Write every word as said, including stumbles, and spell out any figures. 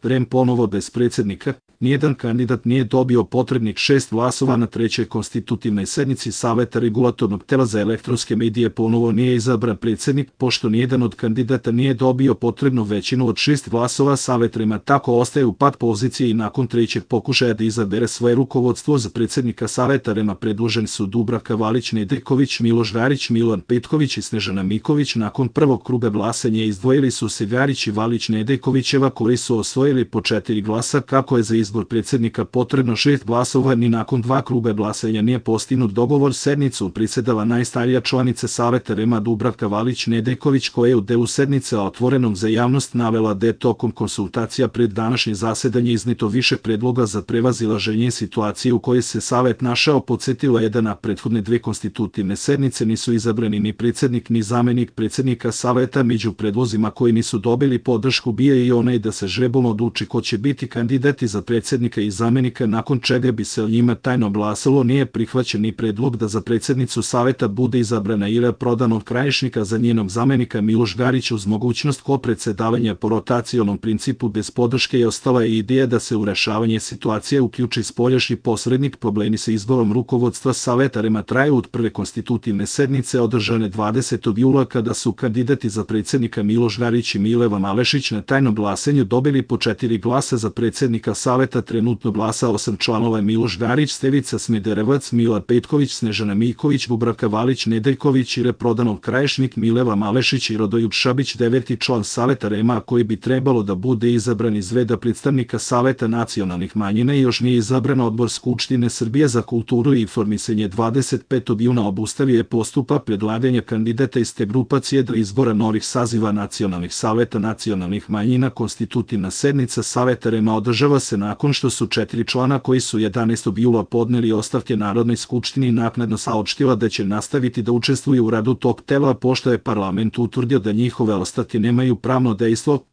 R E M ponovo bez predsjednika, nijedan kandidat nije dobio potrebnih šest glasova na trećoj konstitutivnoj sednici Saveta regulatornog tela za elektronske medije ponovo nije izabran predsjednik, pošto nijedan od kandidata nije dobio potrebnu većinu od šest glasova. Savet R E M-a tako ostaje u pat poziciji i nakon trećeg pokušaja da izabere svoje rukovodstvo za predsjednika Saveta R E M-a predloženi su Dubravka Valić Nedeljković, Miloš Garić, Milan Petković i Snežana Miković. Nakon prvog kruga glasanja izdvojili su se Garić i Valić Nedeljkovićeva koji su osvojili po četiri glasa. Kako je za izbor predsjednika potrebno šest glasova, ni nakon dva kruga glasanja nije postignut dogovor. Sednicu predsedava najstarija članica Saveta R E M-a Dubravka Valić Nedeljković, koja je u delu sednice otvorenom za javnost navela da je tokom konsultacija pred današnje zasedanje izneto više predloga za prevazilaženje situacije u kojoj se Savet našao. Podsetila je da na prethodne dve konstitutivne sednice nisu izabrani ni predsjednik ni zamenik predsjednika Saveta. Među predlozima koji nisu dobili podršku bio je i onaj da se žrebom odluči ko će biti kandidati za predsjednika i zamenika, nakon čega bi se o njima tajno glasalo. Nije prihvaćen ni predlog da za predsjednicu Saveta bude izabrana Ira Prodan od Krajišnika, za njenog zamenika Miloš Garić uz mogućnost kopredsedavanja po rotacionom principu. Bez podrške je ostala i ideja da se u rešavanje situacije uključi spoljašnji posrednik. Problemi sa izborom rukovodstva Saveta R E M-a traju od prve konstitutivne sednice održane dvadesetog jula, kada su kandidati za predsjednika Miloš Garić i Mileva Malešić na tajnom glasanju dobili po četiri glasa. Za predsjednika Saveta trenutno glasa osam članova: Miloš Garić, Stevica Smederevac, Milan Petković, Snežana Miković, Dubravka Valić Nedeljković, Ira Prodan Krajišnik, Mileva Malešić i Rodoljub Šabić. Deveti član Saveta R E M-a koji bi trebalo da bude izabran iz reda predstavnika Saveta nacionalnih manjina i još nije izabran. Odbor Skupštine Srbije za kulturu i informisanje dvadeset petog juna obustavio je postupak predlaganja kandidata iz te grupacije do izbora novih saziva nacionalnih saveta nacionalnih manjina. Konstitutivna sednica Saveta R E M-a održava se nakon što su četiri člana koji su jedanaestog jula podneli ostavke Narodnoj skupštini naknadno saopštila da će nastaviti da učestvuju u radu tog tela, pošto je parlament utvrdio da njihove ostavke nemaju pravno dejstvo.